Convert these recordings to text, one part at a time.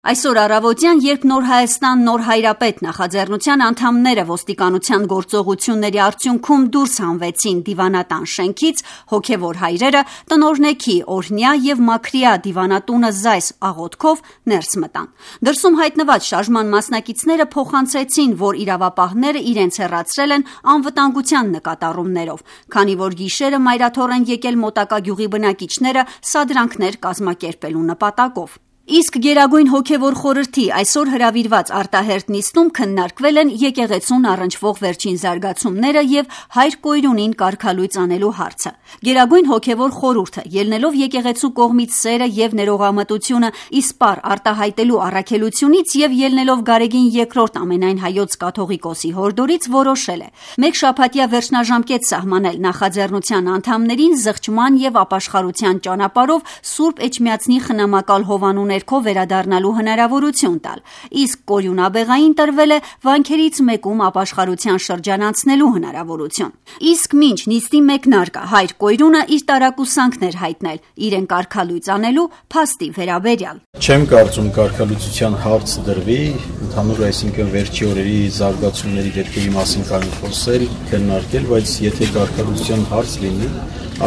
Այսօր առավոտյան, երբ Նոր Հայաստան Նոր Հայրապետ նախաձեռնության անդամները ոստիկանության գործողությունների արդյունքում դուրս հանվեցին դիվանատան շենքից, հոգևոր հայրերը տնօրնեքի օրհնյա և մաքրյա դիվանատունը զայս աղոթքով ներս մտան։ Դրսում հայտնված շարժման մասնակիցները փոխանցեցին, որ իրավապահները իրենց հեռացրել են անվտանգության նկատառումներով, քանի որ գիշերը մայրաթոռ են եկել մոտակա գյուղի բնակիչները սադրանքներ կազմակերպելու նպատակով։ Իսկ Գերագույն հոգևոր խորհրդի այսօր հրավիրված արտահերթ նիստում քննարկվել են եկեղեցուն առնչվող վերջին զարգացումները և Հայր Կոյրունին կարգալույծ անելու հարցը։ Գերագույն հոգևոր խորհուրդը, ելնելով եկեղեցու կողմից սերը և ներողամտությունը իսպառ արտահայտելու առաքելությունից և ելնելով Գարեգին II ամենայն հայոց կաթողիկոսի հորդորից, որոշել է մեկ շաբաթյա վերջնաժամկետ սահմանել նախաձեռնության անդամներին զղջման և ապաշխարության ճանապարհով Սուրբ Էջմիածնի խնամակալ հովանու ներքո վերադառնալու հնարավորություն տալ, իսկ կորյունաբեղային տրվել է վանքերից մեկում ապաշխարության շրջանացնելու հնարավորություն։ Իսկ մինչ նիստի մեկնարկը Հայր Կոյրունը իր տարակուսանքն էր հայտնել իրեն կարգալույծ անելու փաստի վերաբերյալ։ Չեմ կարծում կարգալույծության հարց դրվի, ընդհանուր այսինքն վերջի օրերի զարգացումների դեպքերի մասին կարող խոսել, քննարկել, բայց եթե կարգալույծության հարց լինի,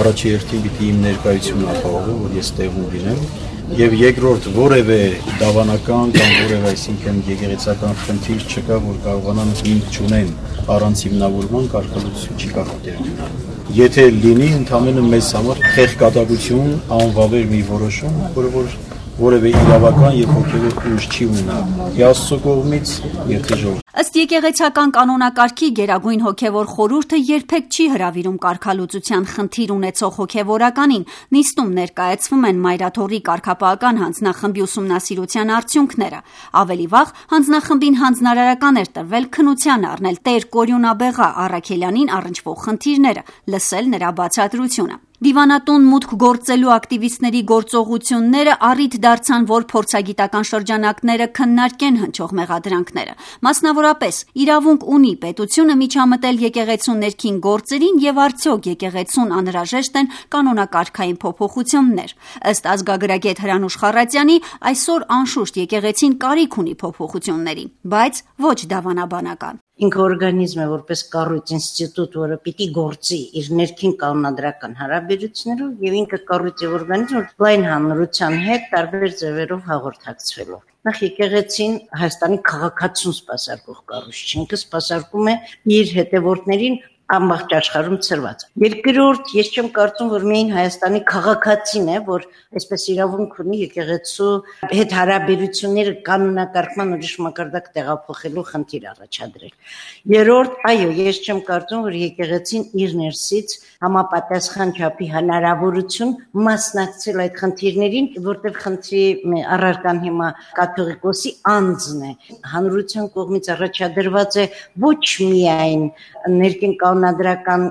առաջի հերթին պիտի իմ ներկայությունն ապահովեմ, որ ես տեղում լինեմ, եւ երկրորդ որևէ դավանական կամ որևէ այսինքն եկեղեցական խնդիր չկա, որ կարողանան հիմք չունեն առանց հիմնավորման կարգալույծություն չի կարող դեր ունենալ։ Եթե լինի ընդհանրապես մեզ համար խեղկատակություն, անվավեր մի որոշում, որը որևէ իրավական եւ հոգեվոր ուժ չի ունենա Աստծո կողմից եւ թե ժողովրդի։ Ըստ եկեղեցական կանոնակարգի Գերագույն հոգևոր խորհուրդը երբեք չի հրավիրում կարգալուծության խնդիր ունեցող հոգևորականին։ Նիստում ներկայացվում են մայրաթոռի կարգապահական հանձնախմբի ուսումնասիրության արդյունքները։ Ավելի վաղ հանձնախմբին հանձնարարական էր տրվել քննության առնել Տեր Կորյունաբեղա Առաքելյանին առնչվող խնդիրները, լսել նրա բացատրությունը։ Դիվանատուն մուտք գործելու ակտիվիստների գործողությունները առիթ դարձան, որ փորձագիտական շրջանակները քննարկեն հնչող մեղադրանքները։ Մասնավորապես, իրավունք ունի պետությունը միջամտել եկեղեցու ներքին գործերին եւ արդյոք եկեղեցուն անհրաժեշտ են կանոնակարգային փոփոխություններ։ Ըստ ազգագրագետ Հրանուշ Խառատյանի, այսօր անշուշտ եկեղեցին կարիք ունի փոփոխությունների, բայց ոչ դավանաբանական։ Ինքը օրգանիզմ է, որպես կառույց, ինստիտուտ, որը պիտի գործի իր ներքին կանոնադրական հարաբերություններով եւ ինքը կառույց եւ օրգանիզմ, որ լայն հանրության հետ տարբեր ձևերով հաղորդակցվելով։ Նախ եկեղեցին Հայաստանի քաղաքացուն սպասարկող կառույց չէ, ինքը սպասարկում է իր հետևորդներին ամբողջ աշխարհում ծրված։ Երկրորդ, ես չեմ կարծում, որ միայն Հայաստանի քաղաքացին է, որ այսպես իրավունք ունի եկեղեցու հետ հարաբերությունները կանոնակարգման ուրիշ մակարդակ տեղափոխելու խնդիր առաջադրել։ Երրորդ, այո, ես չեմ կարծում, որ եկեղեցին իր ներսից համապատասխան չափի հնարավորություն մասնակցել այդ խնդիրներին, որտեղ խնդրի առարկան հիմա կաթողիկոսի անձն է։ Հանրության կողմից առաջադրված է ոչ միայն ներքին կանոնադրական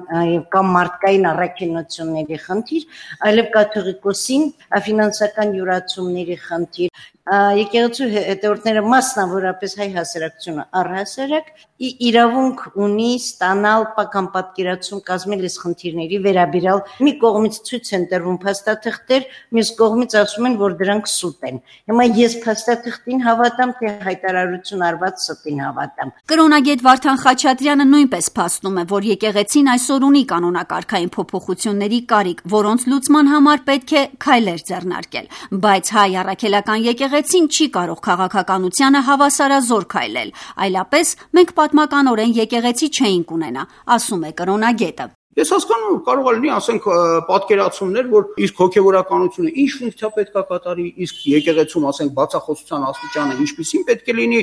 կամ մարդկային առաքինությունների խնդիր, այլև կաթողիկոսին ֆինանսական յուրացումների խնդիր։ Եկեղեցու հետևորդները մասնավորապես հայ հասարակությունը առհասարակ իրավունք ունի ստանալ պական պատկերացում կազմել այս խնդիրների վերաբերյալ։ Մի կողմից ցույց են տրվում փաստաթղթեր, մյուս կողմից ասում են, որ դրանք սուտ են։ Հիմա ես փաստաթղթին հավատամ, թե հայտարարություն արված ստին հավատամ։ Կրոնագետ Վարդան Խաչատրյանը նույնպես փաստում է, որ եկեղեցին այսօր ունի կանոնակարգային փոփոխությունների կարիք, որոնց լուծման համար պետք է քայլեր ձեռնարկել, բայց հայ առաքելական եկեղեցին չի կարող քաղաքականությանը հավասարազոր քայլել, այլապես մենք պատմականորեն եկեղեցի չէինք ունենա, ասում է կրոնագետը։ Ես հասկանում կարող է լինի, ասենք, պատկերացումներ, որ իսկ հոգևորականությունը ինչ ֆունկցիա պետք է կատարի, իսկ եկեղեցում, ասենք, բացախոսության աստիճանը ինչպիսին պետք է լինի,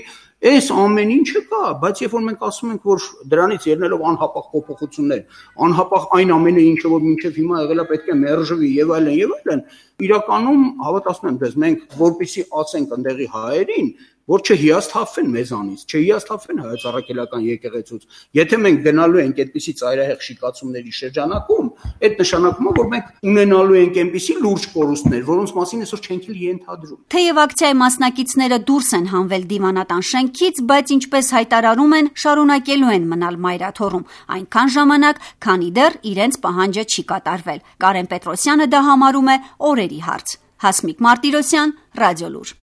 այս ամեն ինչը կա, բայց երբ որ մենք ասում ենք, որ դրանից ելնելով անհապաղ փոփոխություններ, անհապաղ այն ամենը, ինչը որ մինչև հիմա եղել է, պետք է մերժվի եւ այլն, իրականում հավատացնում եմ ձեզ, մենք որպեսզի ասենք ընդեղի հայերին, որ չհիասթափվեն մեզանից, չհիասթափվեն հայոց առաքելական եկեղեցուց։ Եթե մենք գնալու ենք այդպիսի ծայրահեղ շիկացումների շրջանակում, այդ նշանակում է, որ մենք ունենալու ենք այնպիսի լուրջ կորուստներ, որոնց մասին այսօր չենք էլ ենթադրում։ Թեև ակցիայի մասնակիցները դուրս են հանվել դիվանատան շենքից, բայց ինչպես հայտարարում են, շարունակելու են մնալ մայրաթոռում այնքան ժամանակ, քանի դեռ իրենց պահանջը չի կատարվել։ Կարեն Պետրոսյանը դա համարում է օրերի հարց։ Հասմիկ Մարտիրոսյան, Ռադիոլուր։